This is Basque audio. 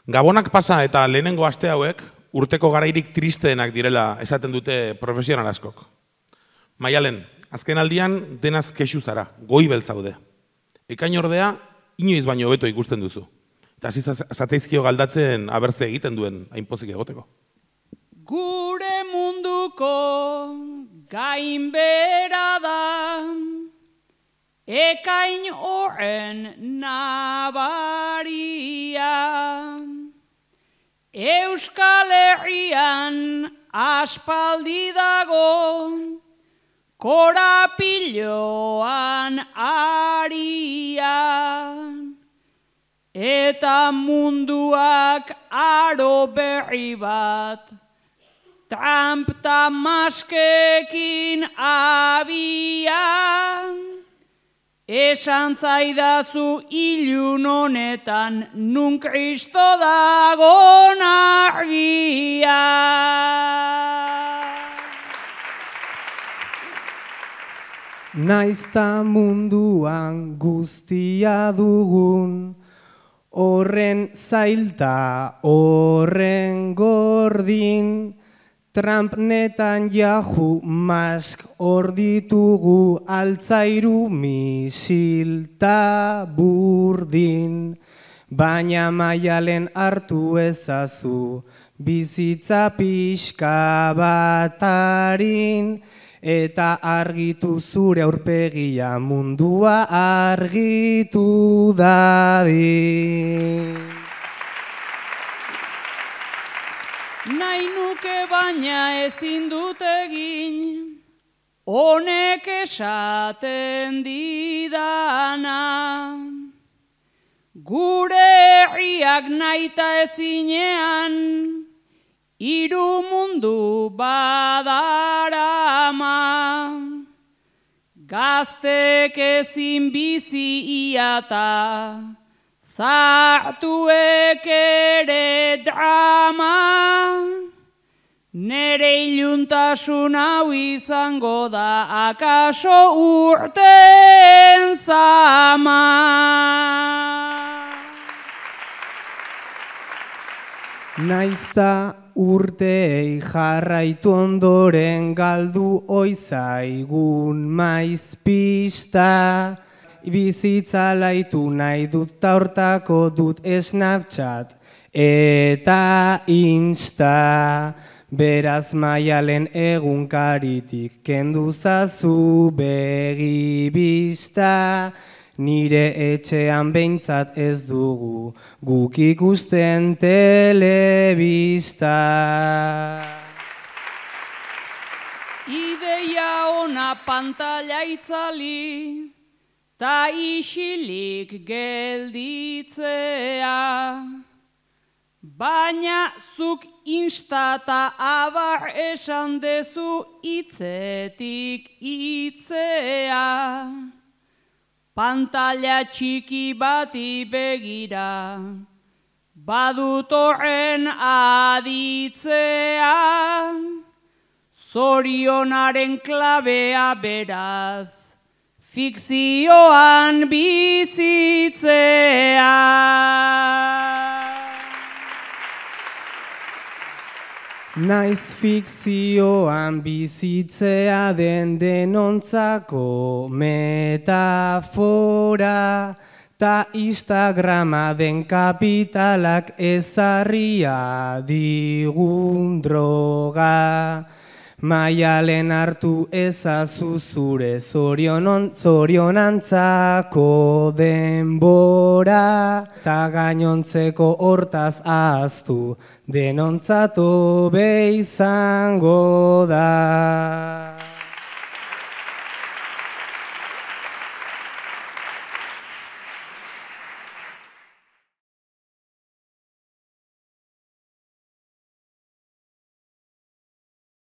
Gabonak pasa eta lehenengo aste hauek urteko garairik tristeenak direla esaten dute profesional askok. Maialen, azken aldian denaz kexu zara, goibel zaude. Ekain ordea, inoiz baino hobeto ikusten duzu. Eta hasi zatzaizkio galdatzen abertze egiten duen hainpozik egoteko. Gure munduko gainbera da, ekain horren nabaria. Euskal Herrian aspaldi dago, korapiloan aria. Eta munduak aro berri bat, Trump ta maskekin abian. Esan zaidazu ilun honetan, nun Kristo dagon argia. Naizta munduan guztia dugun, horren zailta, horren gordin, Trump Netanyahu Musk hor ditugu altzairu misilta burdin. Baina Maialen hartu ezazu bizitza pixka batarin, eta argitu zure aurpegia mundua argitu dadin. Nahi nuke baina ezin dut egin, honek esaten didana. Gure herriak nahita ezinean, hiru mundu badarama. Gaztek ezin bizi iata, zartuek ere drama. Nere iluntasun hau izango da akaso urten zama. Naizta urtei jarraitu ondoren galdu oizaigun maiz pista. Bizitza laitu nahi dut ta hortako dut Snapchat eta Insta. Beraz Maialen egunkaritik kendu zazu begi bista. Nire etxean behintzat ez dugu guk ikusten telebista. Ideia ona pantalla itzali, ta isilik gelditzea. Baina zuk Insta ta abar esan dezu hitzetik hitzea. Pantalla txiki bati begira, badut horren aditzea. Zorionaren klabea beraz, fikzioan bizitzea. Naiz fikzioan bizitzea den denontzako metafora, ta Instagrama den kapitalak ezarria digun droga. Maialen hartu ezazu zure zorionantzako denbora, ta gainontzeko hortaz ahaztu denontzatu be izango da.